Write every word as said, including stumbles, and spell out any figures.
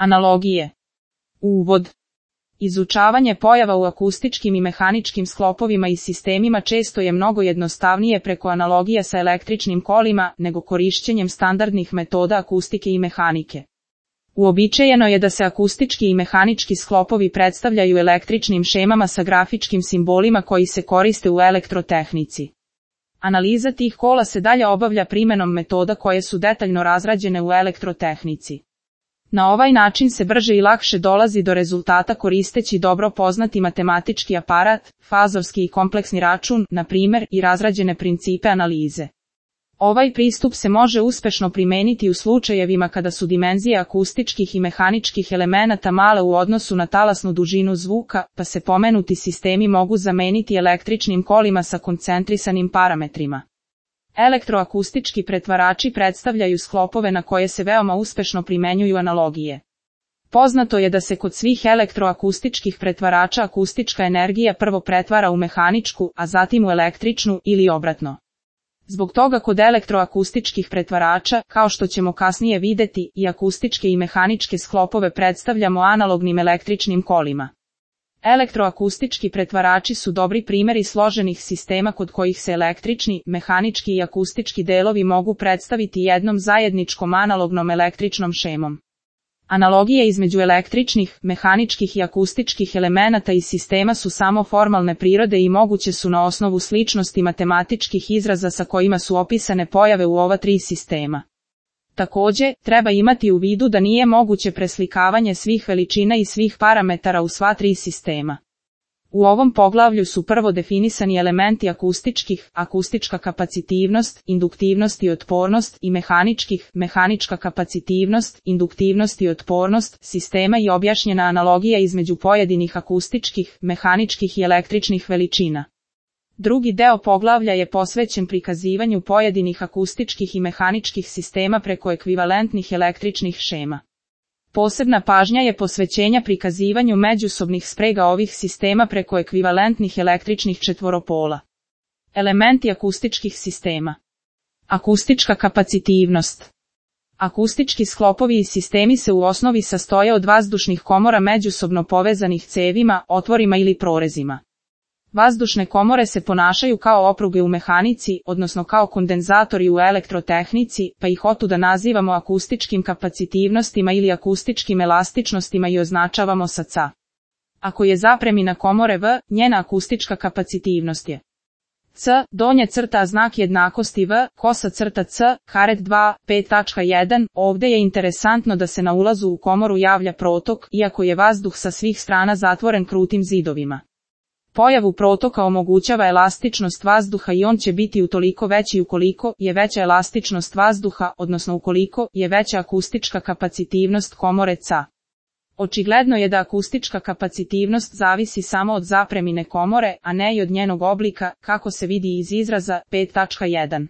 Analogije. Uvod. Izučavanje pojava u akustičkim i mehaničkim sklopovima i sistemima često je mnogo jednostavnije preko analogija sa električnim kolima nego korišćenjem standardnih metoda akustike i mehanike. Uobičajeno je da se akustički i mehanički sklopovi predstavljaju električnim šemama sa grafičkim simbolima koji se koriste u elektrotehnici. Analiza tih kola se dalje obavlja primjenom metoda koje su detaljno razrađene u elektrotehnici. Na ovaj način se brže i lakše dolazi do rezultata koristeći dobro poznati matematički aparat, fazorski i kompleksni račun, na primjer, i razrađene principe analize. Ovaj pristup se može uspešno primeniti u slučajevima kada su dimenzije akustičkih i mehaničkih elemenata male u odnosu na talasnu dužinu zvuka, pa se pomenuti sistemi mogu zameniti električnim kolima sa koncentrisanim parametrima. Elektroakustički pretvarači predstavljaju sklopove na koje se veoma uspešno primenjuju analogije. Poznato je da se kod svih elektroakustičkih pretvarača akustička energija prvo pretvara u mehaničku, a zatim u električnu ili obratno. Zbog toga kod elektroakustičkih pretvarača, kao što ćemo kasnije vidjeti, i akustičke i mehaničke sklopove predstavljamo analognim električnim kolima. Elektroakustički pretvarači su dobri primjeri složenih sistema kod kojih se električni, mehanički i akustički delovi mogu predstaviti jednom zajedničkom analognom električnom šemom. Analogije između električnih, mehaničkih i akustičkih elemenata i sistema su samo formalne prirode i moguće su na osnovu sličnosti matematičkih izraza sa kojima su opisane pojave u ova tri sistema. Također, treba imati u vidu da nije moguće preslikavanje svih veličina i svih parametara u sva tri sistema. U ovom poglavlju su prvo definisani elementi akustičkih, akustička kapacitivnost, induktivnost i otpornost, i mehaničkih, mehanička kapacitivnost, induktivnost i otpornost sistema i objašnjena analogija između pojedinih akustičkih, mehaničkih i električnih veličina. Drugi deo poglavlja je posvećen prikazivanju pojedinih akustičkih i mehaničkih sistema preko ekvivalentnih električnih šema. Posebna pažnja je posvećenja prikazivanju međusobnih sprega ovih sistema preko ekvivalentnih električnih četvoropola. Elementi akustičkih sistema. Akustička kapacitivnost. Akustički sklopovi i sistemi se u osnovi sastoje od vazdušnih komora međusobno povezanih cevima, otvorima ili prorezima. Vazdušne komore se ponašaju kao opruge u mehanici, odnosno kao kondenzatori u elektrotehnici, pa ih otuda nazivamo akustičkim kapacitivnostima ili akustičkim elastičnostima i označavamo sa C. Ako je zapremina komore V, njena akustička kapacitivnost je C, donje crta znak jednakosti V, kosa crta C, karet dva, pet tačka jedan, ovdje je interesantno da se na ulazu u komoru javlja protok, iako je vazduh sa svih strana zatvoren krutim zidovima. Pojavu protoka omogućava elastičnost vazduha i on će biti utoliko veći ukoliko je veća elastičnost vazduha, odnosno ukoliko je veća akustička kapacitivnost komore C. Očigledno je da akustička kapacitivnost zavisi samo od zapremine komore, a ne i od njenog oblika, kako se vidi iz izraza pet tačka jedan.